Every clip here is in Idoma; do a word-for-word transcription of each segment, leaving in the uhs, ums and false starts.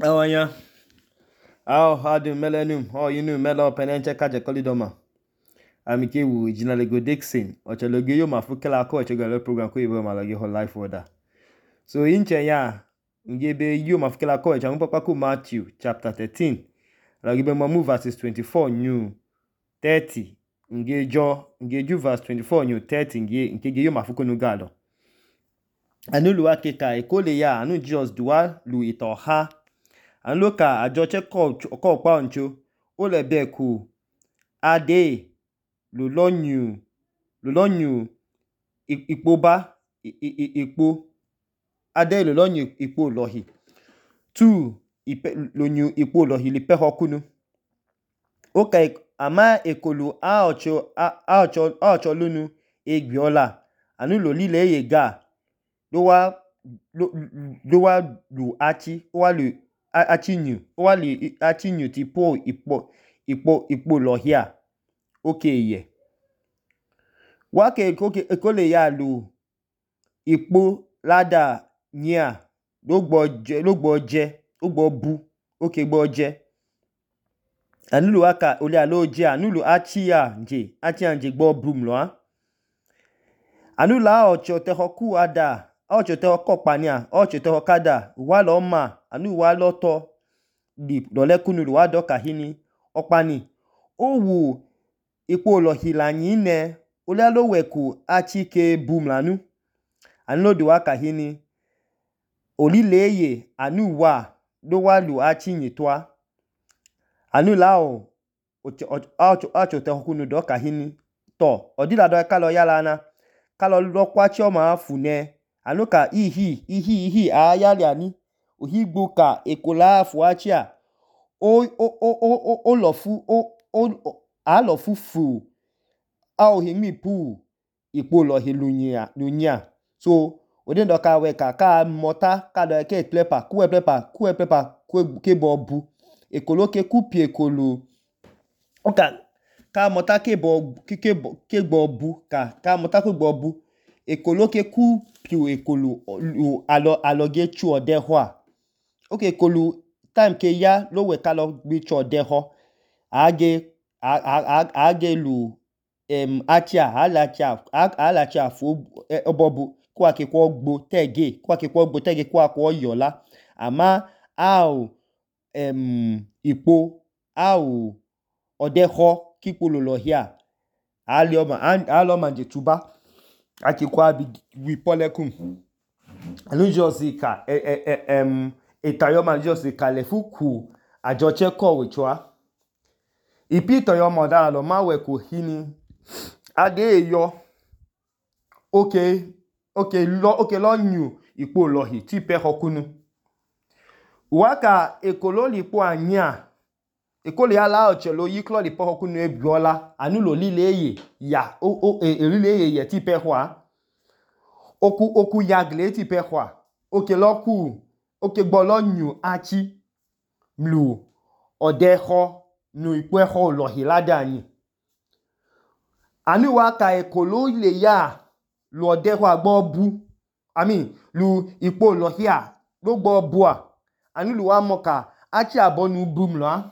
Awanya. Aw hadu melenum. Oh yinu melo penenche kaje kolidoma. Amike wu jinalego Dixon. Ochaloge yo mafukela ko ochogalo program ko ibo malage ho life order. So inche ya ngebe yo mafukela ko echa papa ko Matthew chapter thirteen. Lagibe mamu verses twenty-four new thirty. Nge jo nge ju verse twenty-four new thirty nge nke yo mafuko no galo. Anu luwa keka ekole ya anu Jesus duwa lu itoha. Anu loka ajoche ko ko pa oncho o le be ku ade lu lonyu lu lonyu ipo ba ipo ade lu lonyu ipo lohi two ipe lonyu ipo lohi lipe hokunu oka ama ekolu a ocho a ocho a ocho lunu egbiola anu lo lile yega do wa do wa lu achi o wa lu achinyu o wa lu achinyu ti po ipo ipo ipo lohia oke ye wa ke koke ekole ya lu ipo lada nya lo gbo je lo gbo je o gbo bu oke gbo je anu lu aka ole alo je anu lu achi ya nje achi anje gbo bum lo a anu la ocho te hoku ada ocho te hoko pania ocho te hokada wa lo ma anu wa lo to di dole kunu wa do kahini opani o wu ipo lohi la nyine ole alo weku achi ke bum lanu anu lo di wa kahini olileye anu wa do wa lu achi nyitwa anu la o ocho ocho te hokunu do kahini to odila do ka lo yala na ka lo lo kwachi o ma fune anu ka ihi ihi ihi ayali ani ohigbo ka ekola afu achia o o o o lo fu o o a lo fu fu a o himi pu ipo lo hilunya lunya so ode ndo ka we ka ka mota ka do ke plepa ku e plepa ku e plepa ku ke bo bu ekolo ke ku pi ekolo oka ka mota ke bo ke ke ke gbo bu ka ka mota ku gbo bu ekolo ke ku pi ekolo alo alo ge chu ode ho a oke ekolo time ke ya lo we ka lo gbi chu ode ho age age lu em achia alachia alachia fu obobu kwa ke kwa gbo tege kwa ke kwa gbo tege kwa kwa yola ama au em ipo au ode ho kipolo lohia alioma alioma nje tuba aki kwa bi wi polekun anu josika em etayoma josika le fuku ajoche ko wichwa ipi toyoma da lo ma we ko hini ade yo okay okay lo okay lo nyu ipo lohi ti pe hokunu waka ekolo lipo anya ekole ala ochelo yiklo lipo hokunu ebiola anu lo lileye ya o o elileye ye ti pe hwa oku oku yagle ti pe hwa okay lo ku okay gbo lo nyu achi mlu odeho nu ipo eho lohi lada anyi anu waka ekolo ile ya lu odeho agbo bu I mean lu ipo lohia lo gbo bu a anu lu wa moka achi abonu bum lo a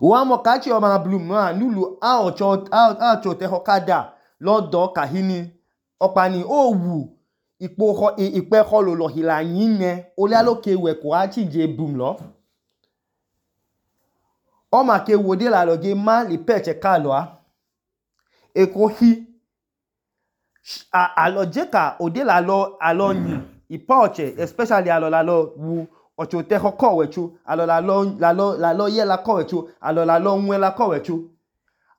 wa moka achi o ma blum no anu lu a ocho a ocho te hokada lo do kahini opani o wu ipo ho ipe ho lo lohi la yine ole aloke we ko achi je bum lo o ma ke wode la lo ge ma li peche ka lo a eko hi a aloje ka ode la lo alo yin ipoche especially alo la lo wu ocho te hoko wechu alo la lo la lo la lo ye la ko wechu alo la lo nwe la ko wechu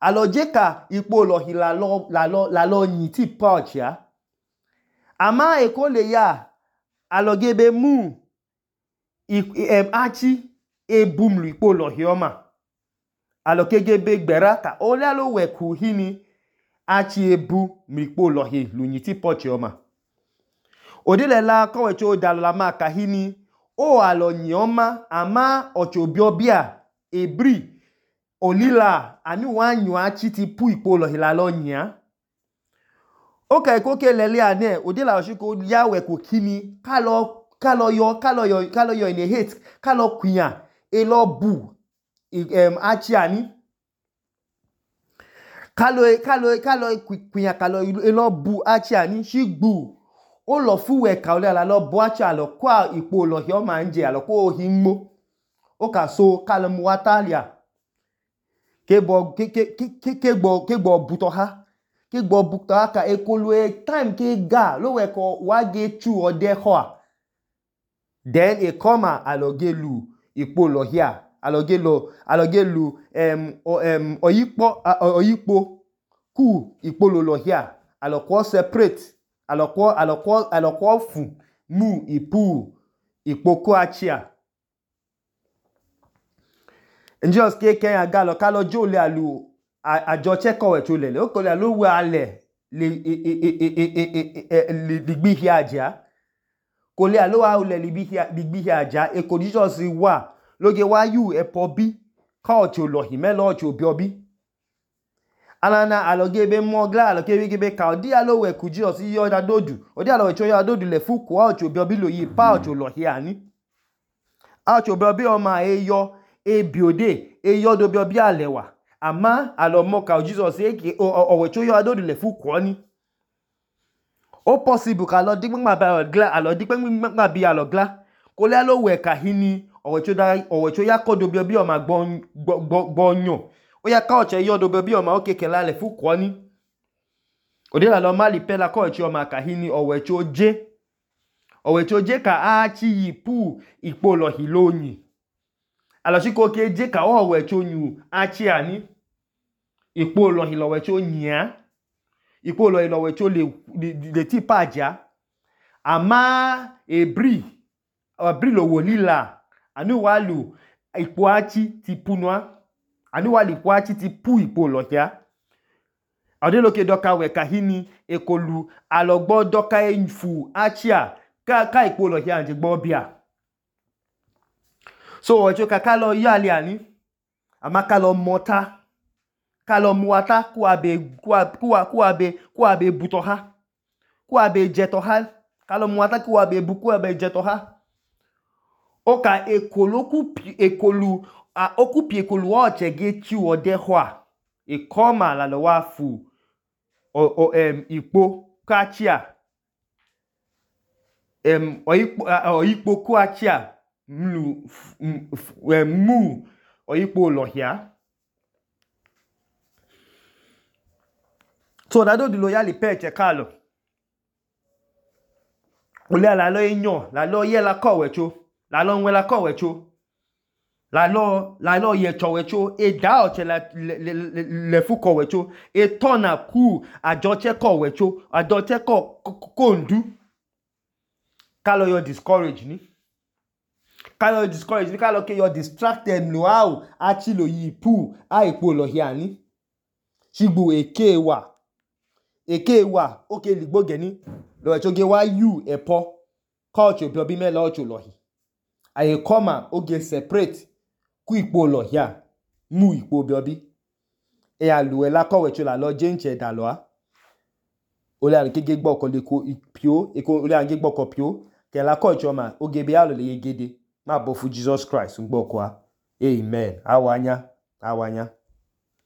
aloje ka ipo lo hi la lo la lo la lo yin ti poche a ama eko le ya aloge be mu em achi e bum lu ipo lo hi oma alokege be gbera ka ole alo we ku hini achi ebu mikpo lohi lunyi ti pochi oma odile la kowecho odalo la ma kahini o alo nyoma ama ocho biobia ebri olila anu wa nyu achi ti pu ipo lohi la lo nya oka ikoke lele ane odile la oshiko ya we ku kini ka lo kalo yo kalo yo kalo yo in a hate kalo kwinya elo bu um achi ani kalo kalo kalo kwinya kalo elo bu achi ani shigbu ó lọ fúwẹ̀ ka ole ala lọ bu achi alo kwa ipo lo hi o ma nje alo ko hi nmo ó ka so kalo mu watalia ke bo ke ke ke ke gbo ke gbo buto ha ke gbo buto ha ka ekolu e time ke ga lo we ko wa ge chu ode ho a then e come alo ge lu ipo lo hi a alo ge lo alo ge lu um um oyipo oyipo ku ipo lo lo hi a alo ko separate alo ko alo ko alo ko fu mu ipu ipoko achia njos ke ke aga lo kalo jo le alu ajo cheko we cho lele o ko le alu we ale le le digbi hi aja ko le alu wa le digbi hi digbi hi aja e ko jesus wa loge wa yu e po bi ka o cho lo hi me lo cho bi obi alana aloge be mo gla aloge be be ka odi alo we ku jesus yo da dodu odi alo we cho yo dodu le fu ko o cho bi obi lo yi pa o cho lo hi ani a cho bi obi o ma e yo e biode e yo do bi obi alewa ama alo mo ka jesus e ki o we cho yo adodu le fu ko ni o possible ka lo digba ba gla alo digba bi alo gla ko le alo we ka hini o we cho da o we cho ya ko do bi obi o ma gbo gbo nyo o ya ka o che yo do bi obi o ma o keke la le fu ko ni o de la lo ma li pe la ko che o ma ka hini o we cho je o we cho je ka a chi yi pu ipo lo hi lo yin alo si ko ke je ka o we cho nyu achi ani ipo lo hi lo we cho yin ipo lo hi lo we cho le le ti paja ama ebri ebri lo wo lila anu wa lu ipo achi ti punwa anu wa li po achi ti pu ipo lo ya ade lo ke doka we ka hini ekolu alogbo doka enfu achia ka ka ipo lo ya nje gbo bia so ojo ka ka lo yali ani ama ka lo mota ka lo muata ku abe ku ku abe ku abe buto ha ku abe jeto ha ka lo muata ku abe bu ku abe jeto ha o ka ekolu ku ekolu a okupi ekolu o chege chi ode ho a e koma la lo wa fu o o em ipo kachia em oyipo oyipo ku achia mlu mu oyipo lohia so da do di loyali peche kalo ole ala lo enyo la lo ye la ko wecho la lo nwe la ko wecho la lo la lo ye cho wecho e da o che la le le fu ko wecho e tona ku ajo che ko wecho ajo che ko ko ndu kalo yo discourage ni kalo discourage ni kalo ke yo distracted no how achi lo yi pu a ipo lo hi ani shigbu eke wa eke wa oke ligbo geni lo echo ge wa you epo culture bi obi me lo cho lo hi aye koma oge separate ku ipo lo hi a mu ipo bi obi e alu e la ko we cho la lo jenche da lo a ole an kege gbo ko le ko pio e ko ole an ge gbo ko pio ke la ko cho ma oge bi alo le yegede ma bo fu Jesus Christ ngbo ko a amen awanya awanya